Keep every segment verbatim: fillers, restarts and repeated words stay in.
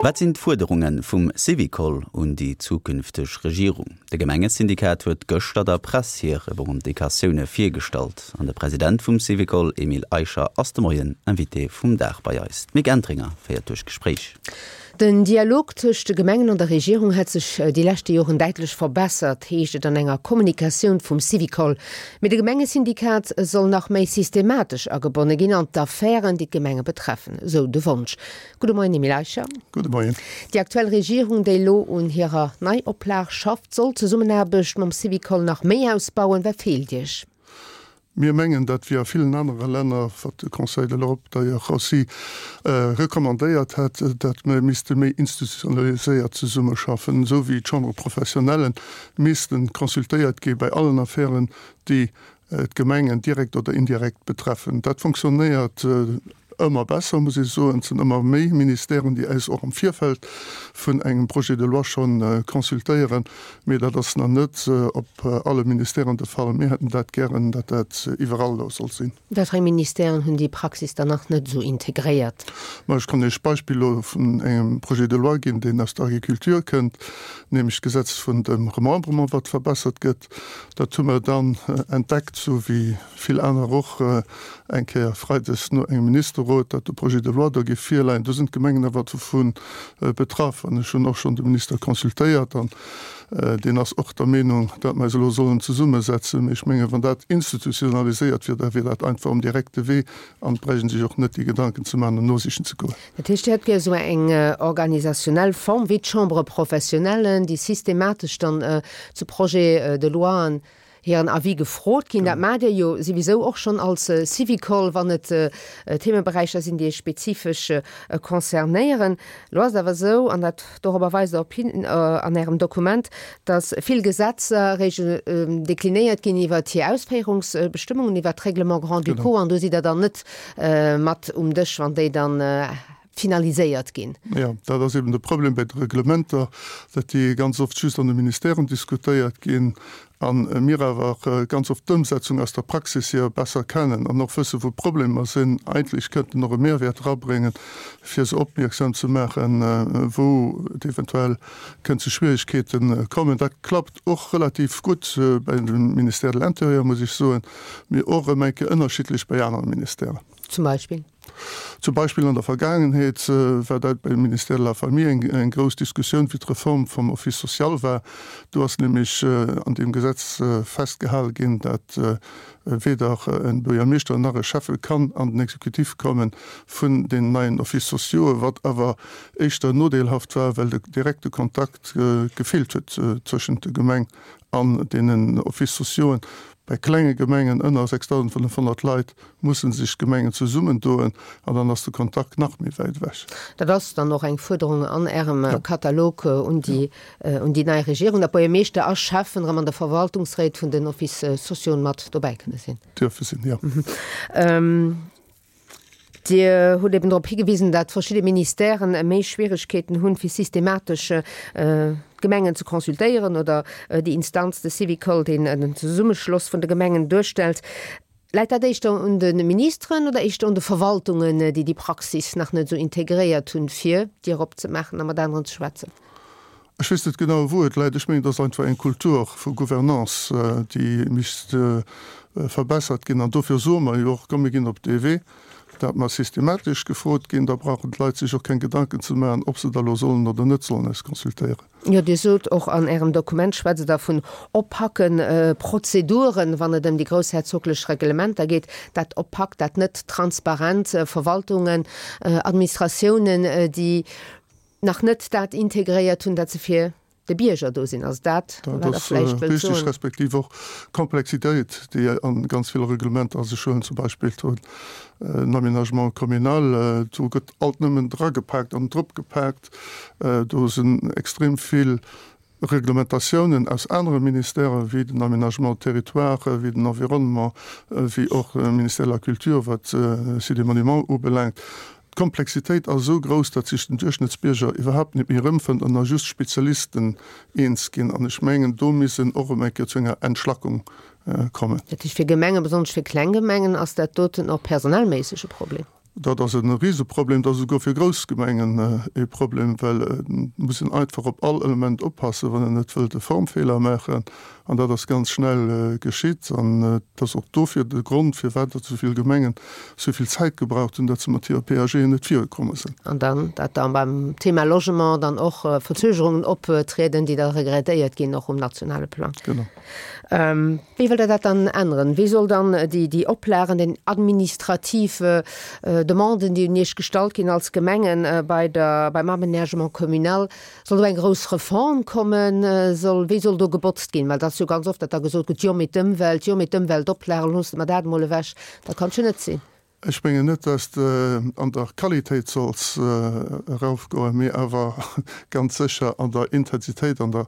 Wat sinn d'Fuerderunge vum Syvicol un déi zukünfteg Regierung? De Gemengesyndikat huet gëschter der Press hir Revendicatioune virgestallt an de President vum Syvicol, Emile Eicher, ass de Moien Invité vum Dag bei eis. D'Mick Entringer féiert duerch d'Gespréich. Den Dialog tëscht de Gemengen an der Regierung hätt sech déi leschte Joren däitlech verbessert, heescht et an enger Kommunikatioun vum Syvicol. Mee de Gemengesyndikat soll nach méi systematesch agebonne ginn an d'Affären, déi d'Gemenge betreffen, esou de Wonsch. Gudde Moien, Emile Eicher. Gudde Moien. Déi aktuell Regierung, déi elo un hirer Neioplag schafft, soll d'Zesummenaarbecht mam Syvicol nach méi ausbauen. Wat feelt Iech? Mir mengen, dat wéi a villen anere Länner, wat de Conseil de l'Europe d'ailleurs aussi recommandéiert hätt, datt mer misste méi institutionaliséiert zesummeschaffen, esou wéi d'Chambres professionnelles misste consultéiert gi bei allen Affären, déi d'Gemengen direkt oder indirekt betreffen. Dat fonctionnéiert ëmmer besser, muss ech soen. Et sinn ëmmer méi Ministèren, déi eis och am Virfeld vun engem Projet de loi scho consultéieren. Mee dat ass nach net op alle Ministèren de Fall. Mir hätten dat gären, datt dat iwwerall esou soll sinn. Wat fir eng Ministèren hunn déi Praxis dann nach net esou integréiert? Ma ech kann Iech d'Beispill elo vun engem Projet de loi ginn, deen aus der Agriculture kënnt, nämlech d'Gesetz vun dem Remembrement, wat verbessert gëtt. Dat hu mer dann entdeckt, sou wéi vill aner och, eng Kéier freides no engem Ministerrot, datt de Projet de loi do géif virleien. Do sinn d'Gemengen awer dovu betraff. An ech hunn och schonn de Minister consultéiert an deen ass och der Meenung, datt mer eis elo sollen zesummesetzen. Mee ech mengen, wann dat institutionaliséiert wier, da wier dat einfach um direkte Wee an et bräicht ee sech och net déi Gedanken ze maachen an nosichen ze goen. Dat heescht, Dir hätt gär esou eng organisationnell Form wéi d'Chambres professionnelles, déi systematesch dann zu Projets de loien hiren Avis gefrot ginn. Dat maacht Dir jo souwisou och schonn als Syvicol, wann et Themeberäicher sinn, déi Iech spezifesch concernéieren. Elo ass et awer esou, an dat dorobber weist Der op hin an Ärem Dokument, datt vill Gesetzer eréischt deklinéiert ginn iwwert hir Ausféierungsbestëmmungen, iwwert d'Règlements grand-ducaux, an do sidd Der dann net mat um Dësch, wann déi dann finaliséiert ginn. Jo, dat ass eben de Problem bei de Reglementer, datt déi ganz oft just an de Ministèren diskutéiert ginn a mir awer ganz oft d'Ëmsetzung aus der Praxis hier besser kennen an och wëssen, wou d'Problemer sinn. Eigentlech kënnten och e Mehrwäert erabréngen, fir se opmierksam ze maachen, wou et eventuell kënnt zu Schwierigkeete kommen. Dat klappt och relativ gutt bei dem Ministère de l'Intérieur, muss ech soen, mee och erëm eng Kéier ënnerschiddlech bei anere Ministèren. Zum Beispill? Zum Beispill an der Vergaangenheet war dat beim Ministère de la Famille eng grouss Diskussioun, wéi d'Reform vum Office social war. Do ass nämlech an deem Gesetz festgehale ginn, dat weder e Buergermeeschter nach e Schäffe kann an den Executif komme vun deenen neien Offices sociaux, wat awer éischter nodeelhaft war, well de direkte Kontakt gefeelt huet zwëschent der Gemeng an deenen Offices sociauxen. Bei klenge Gemengen ënner sechsdausendfënnefhonnert Leit musse sech d'Gemengen zesummendoen an dann ass de Kontakt nach méi wäit ewech. Dat ass dann och eng Fuerderung an Ärem Katalog un déi un déi nei Regierung, datt Buergermeeschter a Schäffen erëm an de Verwaltungsréit vun den Offices sociauxen mat dobäi kënne sinn. Dierfe sinn, jo. Dir hutt eben drop higewisen, datt verschidde Ministèren méi Schwieregkeeten hunn, fir systematesch d'Gemengen ze consultéieren oder déi Instanz, de Syvicol, deen den Zesummeschloss vun de Gemengen duerstellt. Läit dat éischter un de Ministeren oder éischter un de Verwaltungen, déi déi Praxis nach net esou integréiert hunn, fir d'Dier opzemaachen a mat aneren ze schwätzen? Ech weess net genau, wou et läit. Ech mengen, et ass einfach eng Kultur vu Gouvernance, déi misst verbessert ginn. An dofir soe mer jo och, komm mir ginn op dee Wee, dat mer systematesch gefrot ginn. Da brauchen d'Leit sech och keng Gedanken ze maachen, ob se da elo sollen oder net sollen eis consultéieren. Jo, Dir sot och an Ärem Dokument, schwätzt Der vun opaque Prozeduren, wann et ëm déi groussherzoglech Reglementer geet. Dat opaque, dat net transparent, Verwaltungen, Administratiounen, déi nach net dat integréiert hunn, dat se fir de Bierger do sinn. Ass dat, wat Der vläicht wëllt soen? Richtig, respektiv och d'Komplexitéit, déi a ganz ville Reglementer ass. Ech huelen zum Beispill do den Aménagement communal, do gëtt alt nëmmen dragepaakt an dropgepaakt. Do sinn extrem vill Reglementatiounen aus anere Ministèren, wéi den Aménagement territoire, wéi den Environnement, wéi och de Ministère de la Culture, wat Sites et Monuments ubelaangt. D'Komplexitéit ass esou grouss, datt sech den Duerchschnëttsbierger iwwerhaapt net méi erëmfënnt an da just Spezialisten eens ginn. An ech mengen, do misst en och erëm eng Kéier zu enger Entschlackung kommen. Dat heescht, fir Gemengen, besonnesch fir kleng Gemengen, ass dat doten och personellméisseg e Problem? Dat ass e Riseproblem, dat ass esouguer fir grouss Gemengen e Problem, well et muss een einfach op all Element oppassen, wann een net wëllt e Formfeeler maachen. An dat ass ganz schnell geschitt. An et ass och dofir de Grond, firwat datt esou vill Gemengen esou vill Zäit gebraucht hunn, datt se mat hire PAGen net virukomme sinn. An dann, datt da beim Thema Logement dann och Verzögerungen optrieden, déi da regrettéiert ginn, och um nationale Plang. Genau. Wéi wëllt Der dat dann änneren? Wéi soll dann déi, déi Oplagen, den administrativ Demanden, déi un Iech gestallt ginn als Gemengen bei der, beim Aménagement communal, soll do eng grouss Reform kommen? Soll, wéi soll do gebotzt ginn? Well et ass jo ganz oft, datt da gesot gëtt, jo mee d'Ëmwelt, jo mee d'Ëmweltoplagen, loosse mer dat emol ewech. Dat kann et jo net sinn. Ech mengen net, dass de an der Qualitéit solls eraufgoen, mee awer ganz sécher an der Intensitéit, an der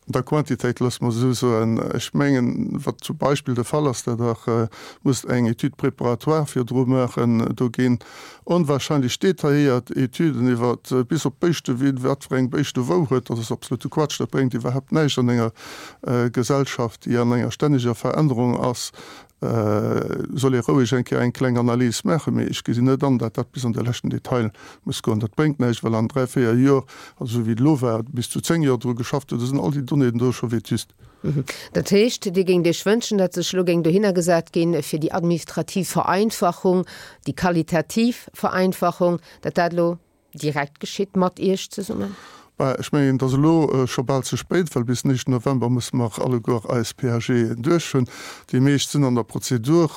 An der Quantitéit, loosse mer esou soen. Ech mengen, wat zum Beispill de Fall ass, datt Der musst eng Étude préparatoire virdru maachen. Do ginn onwahrscheinlech detailléiert Étuden iwwer bis op d'Béischte, wien wat fir eng Béischte wou huet. Dat ass absolute Quatsch. Dat bréngt iwwerhaupt näischt an enger Gesellschaft, déi an enger stänneger Verännerung ass. Soll ee roueg eng Kéier eng kleng Analys maachen, mee ech gesinn net an, datt dat bis an de leschten Detail muss goen. Dat bréngt näischt, well an dräi, véier Joer, also esou wéi et elo war, bis zu zéng Joer dru geschafft huet, da sinn all déi Donnéeën do scho vétuste. Dat heescht, Dir géingt Iech wënschen, datt sech elo géing dohinner gesat ginn, fir déi administrativ Vereinfachung, déi qualitativ Vereinfachung, datt dat elo direkt geschitt mat Iech zesummen? Bah, ech mengen, et ass elo scho bal ze spéit, well bis den éischten November musse mer alleguer eis PAGen duerch hunn. Déi meescht sinn an der Prozedur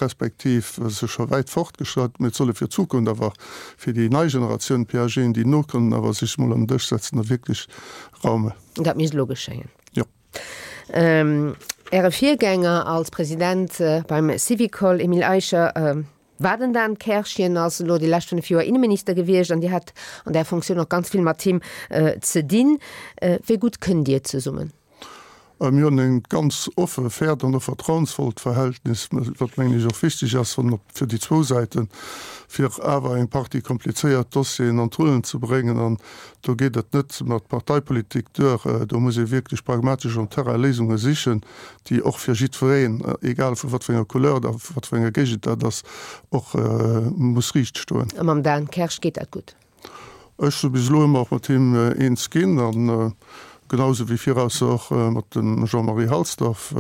respektiv se scho wäit fortgeschratt. Mee et solle fir d'Zukunft awer fir déi nei Generatioun PAGen, déi nokommen, awer sech emol an den Dësch setzen a wierklech raumen. Dat misst elo geschéien. Jo. Äre Virgänger als President beim Syvicol, Emile Eicher, war den Dan Kersch. Hien ass elo déi lescht fënnef Joer Inneminister gewiescht an Dir hat an där Fonctioun och ganz vill mat him ze dinn. Wéi gutt kënnt Dir zesummen? Mir hunn e ganz offe, fairt an och vertrauensvollt Verhältnis, wat mengen ech och wichteg ass fir déi zwou Säiten, fir awer eng Partie komplizéiert Dossieren an d'Rullen ze bréngen. An do geet et net mat Parteipolitik duer, do muss ee wierklech pragmatesch um Terrain Léisunge sichen, déi och fir jiddwereen, egal vu wat fir enger Couleur oder vu wat fir enger Géigend dat ass, och muss riicht stoen. A mam Dan Kersch geet dat gutt? Ech si bis elo ëmmer och mat him eens ginn, a genau esou wéi viraus och mat dem Jean-Marie Halsdorf.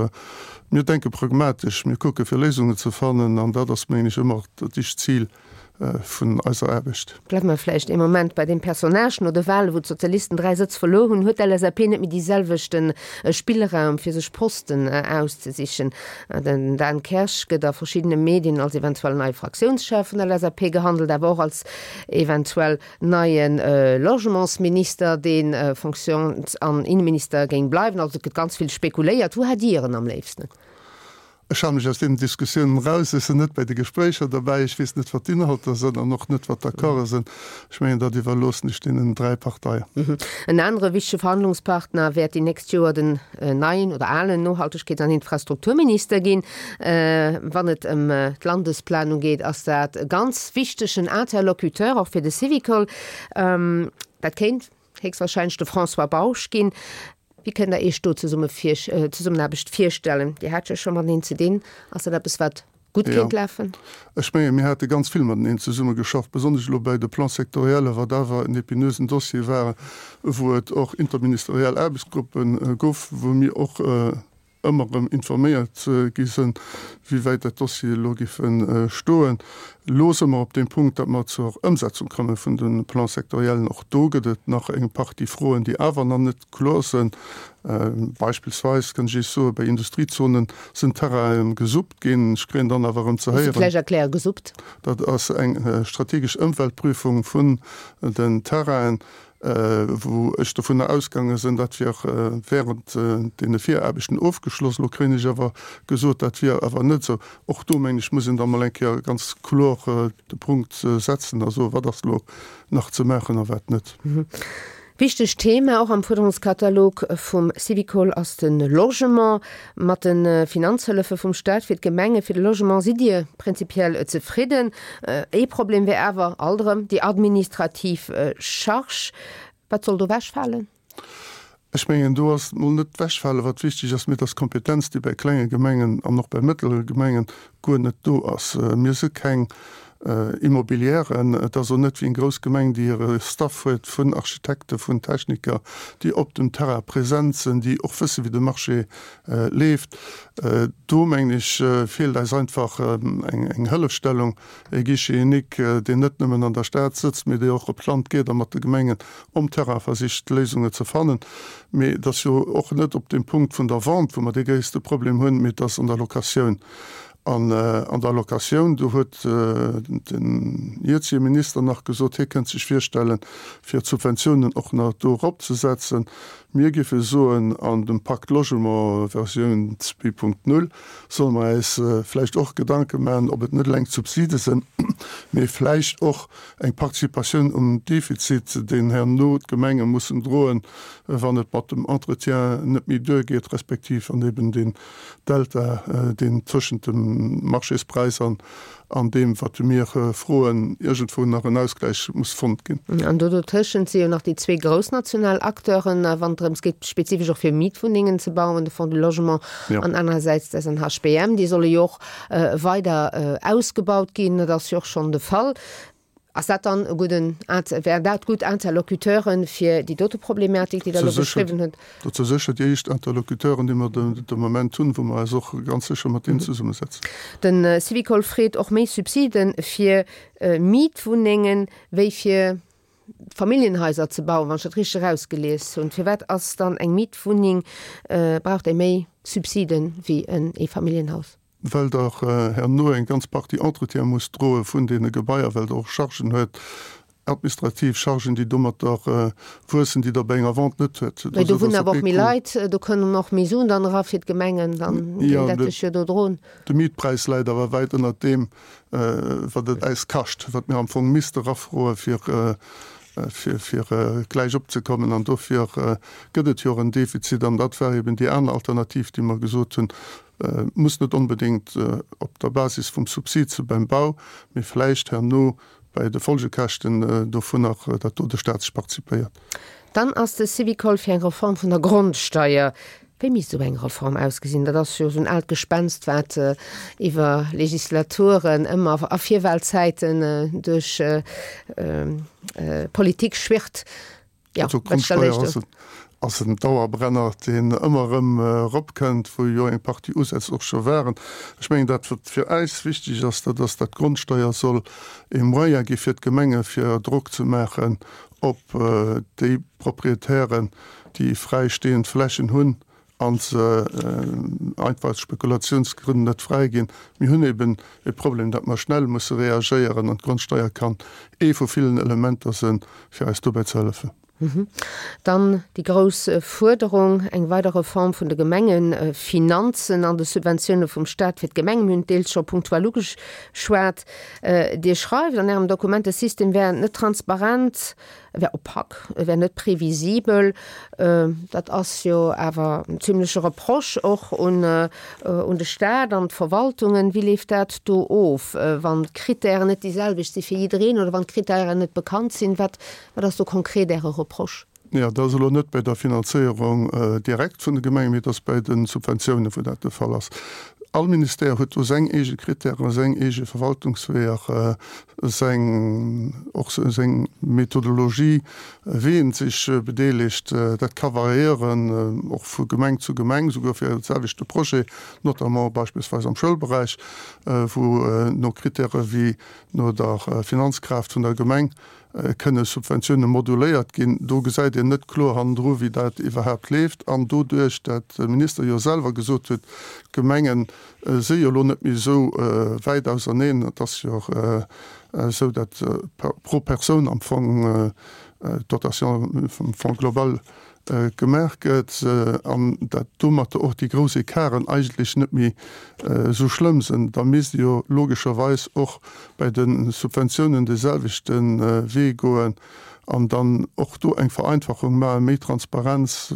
Mir denke pragmatesch, mir kucke fir Léisungen ze fannen, an dat ass, mengen ech, ëmmer dat éischt Zil vun eiser Aarbecht. Bleiwe mer vläicht ee Moment bei deem Personnage. No de Wale wou d'Sozialisten dräi Sëtz verluer hunn, huet d'LSAP net méi dee selwechte Spillraum fir sech Posten auszesichen. Den Dan Kersch gëtt a verschiddene Medien als eventuell neie Fraktiounschef vun der LSAP gehandelt, awer och als eventuell neie Logementsminister, dee Fonctions an Inneminister géing bleiwen. Also et gëtt ganz vill spekuléiert. Wou hätt Dir en am léifsten? Ech hale mech aus deenen Diskussiounen eraus. Ech sinn net bei de Gespréicher derbäi. Ech weess net, wat d'Inhalter sinn an och net, wat d'Accorde sinn. Ech mengen, dat iwwerloossen ech deenen dräi Parteien. En anere wichtege Verhandlungspartner wäert déi nächst Joer den neien oder alen Nohaltegkeets an Infrastrukturminister ginn. Wann et ëm d'Landesplanung geet, ass dat e ganz wichtegen Interlocuteur, och fir de Syvicol. Dat kéint héchstwahrscheinlech de François Bausch ginn. Wéi kënnt Der Iech do Zesummenaarbecht virstellen? Dir hat jo scho mateneen ze dinn. Ass dat eppes, wat gutt kéint lafen? Ech mengen, mir hate ganz vill mateneen zesummegeschafft, besonnesch elo bäi de Plans-sectoriellen, wat awer en épineusen Dossier war, wou et och interministeriell Aarbechtsgruppe gouf, wou mir och ëmmer erëm informéiert gi sinn, wéi wäit dat Dossier elo géife stoen. Elo si mer op deem Punkt, datt mer zur Ëmsetzung komme vun de Plans-sectoriellen. Och do gëtt et nach eng Partie Froen, déi awer nach net kloer sinn. Beispillsweis kann ech Iech soen, bei Industriezonen sinn Terrainen gesuppt ginn. Ech kréien dann awer erëm ze Muss de héieren. vläicht erklären, gesuppt? Dat ass eng strategesch Ëmweltprüfung vun den Terrainen. wou ech dovunner ausgaange sinn, dat wier während deene Viraarbechten ofgeschloss. Elo kréien ech awer gesot, dat wier awer net esou. Och do, mengen ech, muss een da mol eng Kéier ganz kloer de Punkt setzen a soen, wat ass elo nach ze maachen a wat net. Wichtegt Thema och am Fuerderungskatalog vum Syvicol ass de Logement. Mat de Finanzhëllefe vum Staat fir d'Gemenge fir de Logement sidd Dir prinzipiell zefridden. Ee Problem wär awer alt erëm déi administrativ Charge. Wat soll do ewechfalen? Ech mengen, do ass mol net d'Wechfale wat wichteg ass, mee et ass d'Kompetenz, déi bei klenge Gemengen an och bei mëttlere Gemengen guer net do ass. Mir si keng Immobilièren. Et ass och net wéi eng grouss Gemeng, déi hire Staff huet vun Architekten, vun Techniker, déi op dem Terrain present sinn, déi och wësse wéi de Marché leeft. Do mengen ech feelt eis einfach eng Hëllefstellung, e Guichet unique, deen net nëmmen an der Stad sëtzt, mee dee och op d'Land geet a mat de Gemengen um Terrain versicht Léisunge ze fannen. Mee et ass jo och net op dem Punkt vun der Vente, wou mer dee gréisste Problem hunn, mee et ass an der Locatioun. An an der Locatioun, do huet den jëtzege Minister nach gesot, hie kënnt sech virstellen, fir d'Subventiounen och nach do eropzesetzen. Mir géife soen, an dem Pacte Logement Versioun zwee Punkt null solle mer eis vläicht och Gedanke maachen, ob et net eleng d'Subside sinn, mee vläicht och eng Participatioun um Defizit, deen herno d'Gemenge mussen droen, wann et mat dem Entretien net méi duergeet, respektiv wann eben deen Delta, deen tëschent dem Marchéspräis an an deem, wat mir froen, iergendwou nach en Ausgläich muss fonnt ginn. An do dotëschent si jo nach déi zwee grouss national Acteuren, wann et drëms geet, spezifesch och fir Mietwunnengen ze bauen, de Fonds du Logement an anerersäits d'SNHBM. Déi solle jo och weider ausgebaut ginn. Dat ass jo och schonn de Fall. Ass dat dann e gudden, wären dat gutt Interlocuteuren fir déi dote Problematik, déi Der elo beschriwwen hutt? Dat si sécher déi éischt Interlocuteuren, déi mer de Moment hunn, wou mer eis och ganz sécher mat deenen zesummesetzen. De Syvicol freet och méi Subside fir Mietwunnengen wéi fir Familljenhaiser ze bauen, wann ech dat richteg erausgelies hunn. Firwat ass dann eng Mietwunneng, brauch déi méi Subside wéi en Eefamilljenhaus? Well Der herno eng ganz Partie Entretien musst droe vun deene Gebaier, well Der och Chargen huet, administrativ Chargen, déi domatter wuessen, déi Der bei enger Vente net huet. Mee do wunnen awer och méi Leit, do kënnen och méi Suen dann era fir d'Gemengen, dann ginn dat sech jo do droen. De Mietpräis läit awer wäit ënnert deem, wat et äis kascht, wat mir am Fong misste erafroe fir fir gläich opzekommen. An dofir gëtt et jo och en Defizit. An dat war eben déi aner Alternativ, déi mer gesot hunn, muss net onbedéngt op der Basis vum Subsid se beim Bau, mee vläicht herno bei de Folgekäschten dovunner, datt do de Stat sech partizipéiert. Dann ass de Syvicol fir eng Reform vun der Grondsteier. Wéi misst esou eng Reform ausgesinn? Dat ass jo esou en aalt Gespenst, wat iwwer Legislaturen ëmmer a Virwahlzäiten duerch d'Politik schwirrt. Jo, wat stellt Iech do? Ass en Dauerbrenner, deen ëmmer erëm eropkënnt, wou jo eng Partie Usätz och scho waren. Ech mengen, dat wat fir äis wichteg ass, dat ass, datt d'Grondsteier soll e Moyen gi fir d'Gemenge fir Drock ze maachen op déi Proprietären, déi fräistehend Flächen hunn a se einfach aus Spekulationsgrënn net fräiginn. Mir hunn eben e Problem, datt mer schnell musse reagéieren, an d'Grondsteier kann ee vu villen Elementer sinn, fir eis dobäi ze hëllefen. Dann déi grouss Fuerderung, eng weider Reform vun de Gemengefinanzen an de Subventioune vum Staat fir d'Gemengen. Mir hunn et deels scho punktuell ugeschwat. Dir schreift an Ärem Dokument, de System wär net transparent, e wär opak, e wär net previsibel. Dat ass jo awer en zimleche Reproche och un de Staat an d'Verwaltungen. Wéi leeft dat do of, wann d'Krittären net déi selwecht si fir jiddereen oder wann d'Krittären net bekannt sinn? Wat ass do konkret Äre Reproche? Jo, dat ass elo net bei der Finanzéierung direkt vun de Gemengen, mee et ass bei de Subventiounen, wou dat de Fall ass. All Ministère huet do seng eege Krittären, seng eege Verwaltungsweeër, seng, och seng Methodologie, wéi en sech bedeelegt. Dat ka variéieren, och vu Gemeng zu Gemeng, souguer fir e selwechte Projet, notamment beispillsweis am Schoulberäich, wou no Krittäre wéi no der Finanzkraaft vun der Gemeng kënne Subventioune moduléiert ginn. Do gesäit een net kloer hannendru wéi dat iwwerhaapt leeft. An doduerch, dat de Minister jo selwer gesot huet, d'Gemenge si jo elo net méi esou wäit auserneen, et ass jo esou, dat pro Persoun am Fong d'Dotation vum Fonds global gemaach gëtt an dat domatter och déi grouss Ecarten eigentlech net méi esou schlëmm sinn, da misst ee jo logescherweis och bei de Subventiounen de selwechte Wee goen an dann och do eng Vereinfachung maachen, méi Transparenz,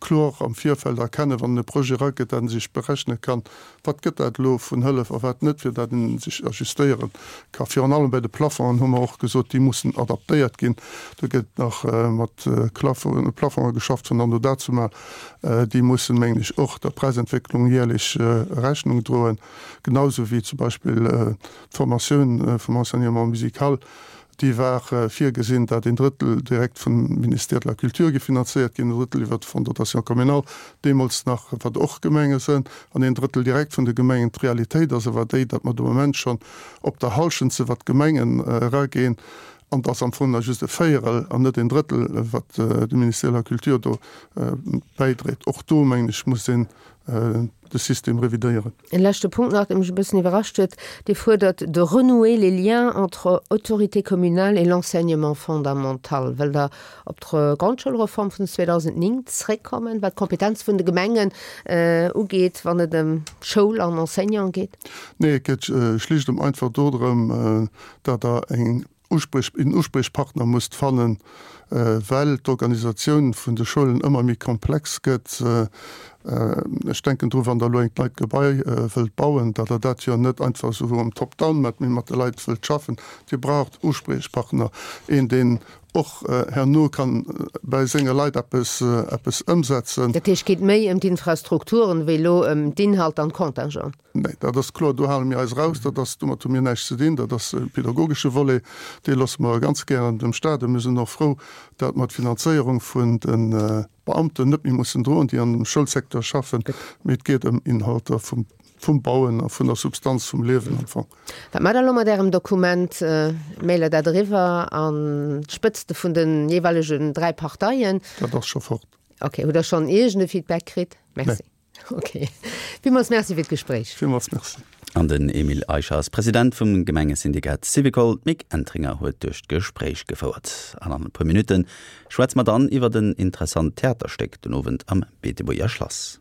kloer am Virfeld erkennen, wann e Projet erakënnt, datt en sech berechne kann, wat gëtt dat elo vun Hëllef a wat net, fir datt en sech ajustéiere ka. Virun allem bei de Plafongen hu mer och gesot, déi mussen adaptéiert ginn. Do gëtt nach mat Plafonge geschafft vun anno dazumal. Déi mussen, mengen ech, och der Präisentwécklung jährlech Rechnung droen, genausou wéi zum Beispill d'Formatioun vum Enseignement musical. Déi war virgesinn, datt een Drëttel direkt vum Ministère de la Culture gefinanzéiert ginn, en Drëttel iwwer de Fonds de dotation communal, deemools nach, wat och Gemenge sënn, an een Drëttel direkt vun de Gemengen. D'Realitéit ass awer déi, datt mer de Moment schonn op der Hallschent sinn, wat d'Gemengen eraginn, an et ass am Fong nach just e Véierel an net een Drëttel, wat de Ministère de la Culture do bäidréit. Och do, mengen ech, muss een de System revidéieren. En leschte Punkt nach, dee mech e bëssen iwwerrascht huet, Dir fuerdert de renouer les liens entre autorités communales et l'enseignement fondamental. Wëllt Der op d'Grondschoulreform vun zweedausendnéng zréckkommen, wat d'Kompetenz vun de Gemengen ugeet, wann et ëm Schoul an Enseignant geet? Nee, et geet schlicht an einfach dodrëm, datt Der eng Uspriech, een Uspriechpartner musst fannen, well d'Organisatioun vun de Schoulen ëmmer méi komplex gëtt. Ech denken dru wann Der elo engt neit Gebai wëllt bauen, datt Der dat jo net einfach esou am Top-down mat, mee mat de Leit wëllt schaffen. Dir braucht Uspriechpartner, een deen och herno kann bei senge Leit eppes, eppes ëmsetzen. Dat heescht, et geet méi ëm d'Infrastrukturen wéi elo ëm d'Inhalter an d'Contingenten? Nee, dat ass kloer, do hale mir eis eraus. Dat ass, domat hu mir näischt ze dinn. Dat ass e pedagogesche Volet, dee loosse mer ganz gären dem Stat. A mir sinn och frou, datt mer d'Finanzéierung vun de Beamten net méi mussen droen, déi an dem Schoulsecteur schaffen. Mee et geet ëm Inhalter vum, vum Bauen a vun der Substanz vum Liewen am Fong. Wat maacht Der elo mat Ärem Dokument? Mailt Der dat eriwwer an d'Spëtzte vun de jeeweilegen dräi Parteien? Dat ass scho fort. Okay. Hutt Der schonn iergend e Feedback kritt? Merci. Nee. Ok. Villmools Merci fir d'Gespréich. Villmools Merci. An den Emile Eicher ass President vum Gemengesyndikat Syvicol. D'Mick Entringer huet duerch d'Gespréich gefouert. An an e puer Minutte schwätze mer dann iwwert en interessant Theaterstéck den Owend am Beetebuerger Schlass.